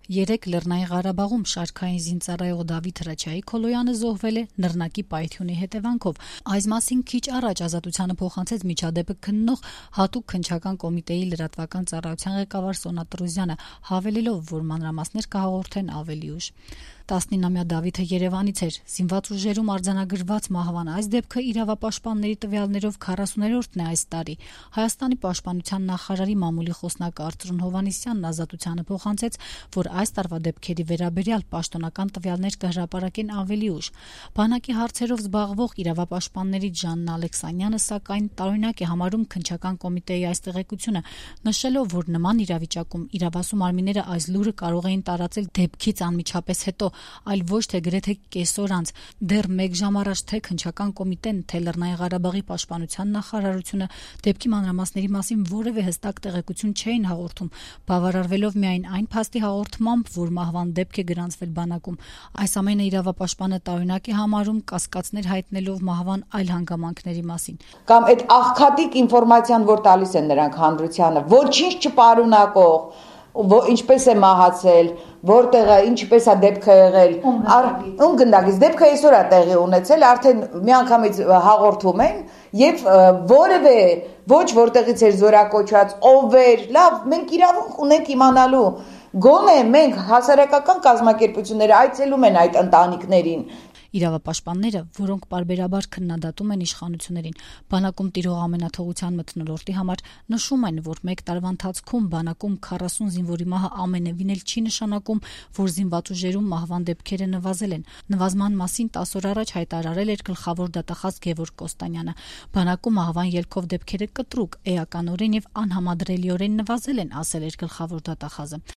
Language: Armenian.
Երեկ Լեռնային Ղարաբաղում շարքային զինծառայող Դավիթ Հրաչյայի Քոլոյանը զոհվել է նռնակի պայթյունի հետևանքով։ Այս մասին քիչ առաջ Ազատությանը փոխանցեց միջադեպը քննող հատուկ քննչական կոմիտեի լրատվական ծառայության ղեկավար Սոնա Տրոզյանը, հավելելով, որ մանրամասներ կհաղորդեն ավելի ուշ։ 19-ամյա Դավիթը Երևանից էր։ Զինված ուժերում արձանագրված մահվան այս դեպքը իրավապաշտպանների տվյալներով 40-րդն է այս տարի։ Հայաստանի պաշտպանության նախարարի մամուլի խոսնակ Արծրուն Հովհաննիսյանն Ազատությանը փոխանցեց, որ այս տարվա դեպքերի վերաբերյալ պաշտոնական տվյալներ կհրապարակեն ավելի ուշ։ Բանակի հարցերով զբաղվող իրավապաշտպաններից Ժաննա Ալեքսանյանը, սակայն, տարօրինակ է համարում քննչական կոմիտեի այս տեղեկությունը, նշելով, որ նման իրավիճակում իրավասու մարմինները այս լուրը կարող էին տարածել դեպքից անմիջապես հետո, այլ ոչ թե գրեթե կեսօր անց։ Դեռ 1 ժամ առաջ թե քննչական կոմիտեն, թե Լեռնային Ղարաբաղի պաշտպանության նախարարությունը դեպքի մանրամասների մասին որևէ հստակ տեղեկություն չէին հաղորդում, բավարարվելով միայն այն փաստի հաղորդմամբ, որ մահվան դեպք է գրանցվել բանակում։ Այս ամենը իրավապաշտպանը տարօրինակ է համարում, կասկածներ հայտնելով մահվան այլ հանգամանքների մասին։ Կամ այդ աղքատիկ ինֆորմացիան, որ տալիս են նրանք հանրությանը, ոչինչ չպարունակող, ինչպես է մահացել, որտեղ է, ինչպես է դեպքը եղել, ում գնդակից դեպքը այսօր է տեղի ունեցել, արդեն միանգամից հաղորդում են եւ որևէ ոչ որտեղից էր զորակոչված, ով էր, լավ, մենք իրավունք ունենք իմանալու, գոնե մենք հասարակական կազմակերպությունները այցելում են այդ ընտանիքներին։ Իրավապաշտպանները, որոնք պարբերաբար քննադատում են իշխանություններին, բանակում տիրող ամենաթողության մթնոլորտի համար, նշում են, որ 1 տարվա ընթացքում բանակում 40 զինվորի մահը ամենևին էլ չի նշանակում, որ զինված ուժերում մահվան դեպքերը նվազել են։ Նվազման մասին 10 օր առաջ հայտարարել էր գլխավոր դատախազ Գևորգ Կոստանյանը։ Բանակում մահվան ելքով դեպքերը կտրուկ, էականորեն եւ անհամադրելիորեն նվազել են, ասել էր գլխավոր դատախազը։